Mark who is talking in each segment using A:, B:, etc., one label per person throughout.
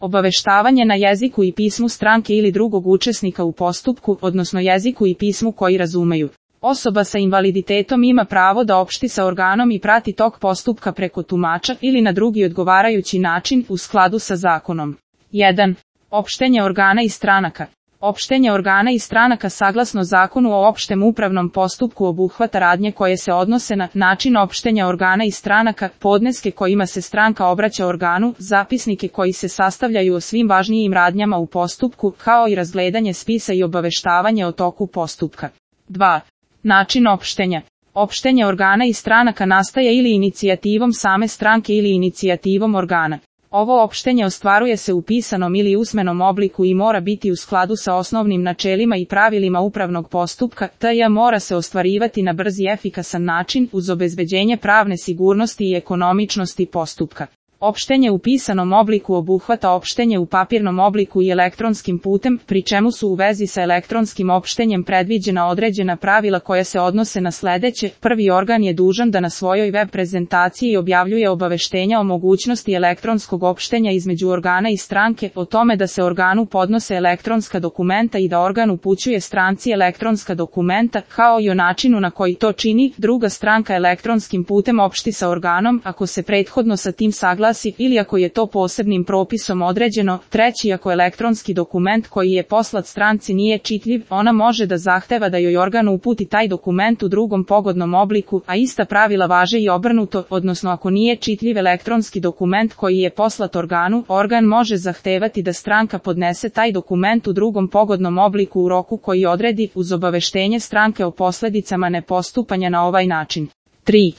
A: Obaveštavanje na jeziku i pismu stranke ili drugog učesnika u postupku, odnosno jeziku i pismu koji razumeju. Osoba sa invaliditetom ima pravo da opšti sa organom i prati tok postupka preko tumača ili na drugi odgovarajući način u skladu sa zakonom. 1. Opštenje organa i stranaka. Opštenje organa i stranaka saglasno Zakonu o opštem upravnom postupku obuhvata radnje koje se odnose na način opštenja organa i stranaka, podneske kojima se stranka obraća organu, zapisnike koji se sastavljaju o svim važnijim radnjama u postupku, kao i razgledanje spisa i obaveštavanje o toku postupka. 2. Način opštenja. Opštenje organa i stranaka nastaje ili inicijativom same stranke ili inicijativom organa. Ovo opštenje ostvaruje se u pisanom ili usmenom obliku i mora biti u skladu sa osnovnim načelima i pravilima upravnog postupka, te mora se ostvarivati na brz i efikasan način uz obezbeđenje pravne sigurnosti i ekonomičnosti postupka. Opštenje u pisanom obliku obuhvata opštenje u papirnom obliku i elektronskim putem, pri čemu su u vezi sa elektronskim opštenjem predviđena određena pravila koja se odnose na sledeće. Prvi organ je dužan da na svojoj web prezentaciji objavljuje obaveštenja o mogućnosti elektronskog opštenja između organa i stranke, o tome da se organu podnose elektronska dokumenta i da organ upućuje stranci elektronska dokumenta, kao i o načinu na koji to čini. Druga stranka elektronskim putem opšti sa organom, ako se prethodno sa tim saglasi ili ako je to posebnim propisom određeno. Treći, ako elektronski dokument koji je poslat stranci nije čitljiv, ona može da zahteva da joj organ uputi taj dokument u drugom pogodnom obliku, a ista pravila važe i obrnuto, odnosno ako nije čitljiv elektronski dokument koji je poslat organu, organ može zahtevati da stranka podnese taj dokument u drugom pogodnom obliku u roku koji odredi, uz obaveštenje stranke o posledicama nepostupanja na ovaj način. 3.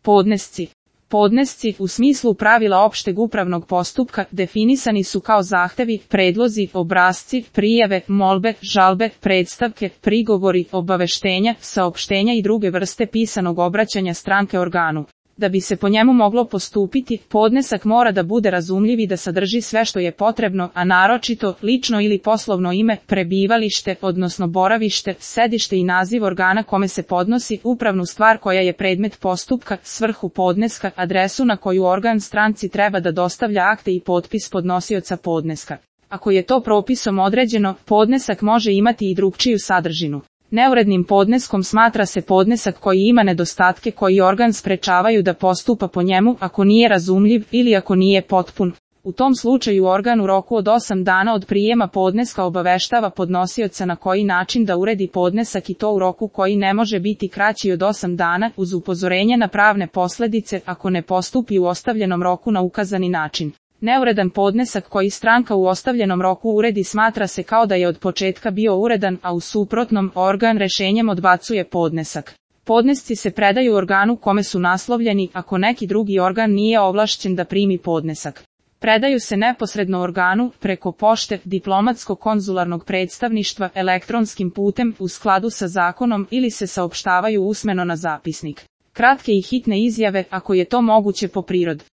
A: Podnesci. Podnesci, u smislu pravila opšteg upravnog postupka, definisani su kao zahtevi, predlozi, obrasci, prijave, molbe, žalbe, predstavke, prigovori, obaveštenja, saopštenja i druge vrste pisanog obraćanja stranke organu. Da bi se po njemu moglo postupiti, podnesak mora da bude razumljiv i da sadrži sve što je potrebno, a naročito lično ili poslovno ime, prebivalište, odnosno boravište, sedište i naziv organa kome se podnosi, upravnu stvar koja je predmet postupka, svrhu podneska, adresu na koju organ stranci treba da dostavlja akte i potpis podnosioca podneska. Ako je to propisom određeno, podnesak može imati i drugčiju sadržinu. Neurednim podneskom smatra se podnesak koji ima nedostatke koji organ sprečavaju da postupa po njemu, ako nije razumljiv ili ako nije potpun. U tom slučaju organ u roku od 8 dana od prijema podneska obaveštava podnosioca na koji način da uredi podnesak i to u roku koji ne može biti kraći od 8 dana, uz upozorenje na pravne posledice ako ne postupi u ostavljenom roku na ukazani način. Neuredan podnesak koji stranka u ostavljenom roku uredi smatra se kao da je od početka bio uredan, a u suprotnom, organ rešenjem odbacuje podnesak. Podnesci se predaju organu kome su naslovljeni, ako neki drugi organ nije ovlašćen da primi podnesak. Predaju se neposredno organu, preko pošte, diplomatsko-konzularnog predstavništva, elektronskim putem, u skladu sa zakonom ili se saopštavaju usmeno na zapisnik. Kratke i hitne izjave, ako je to moguće po prirodi.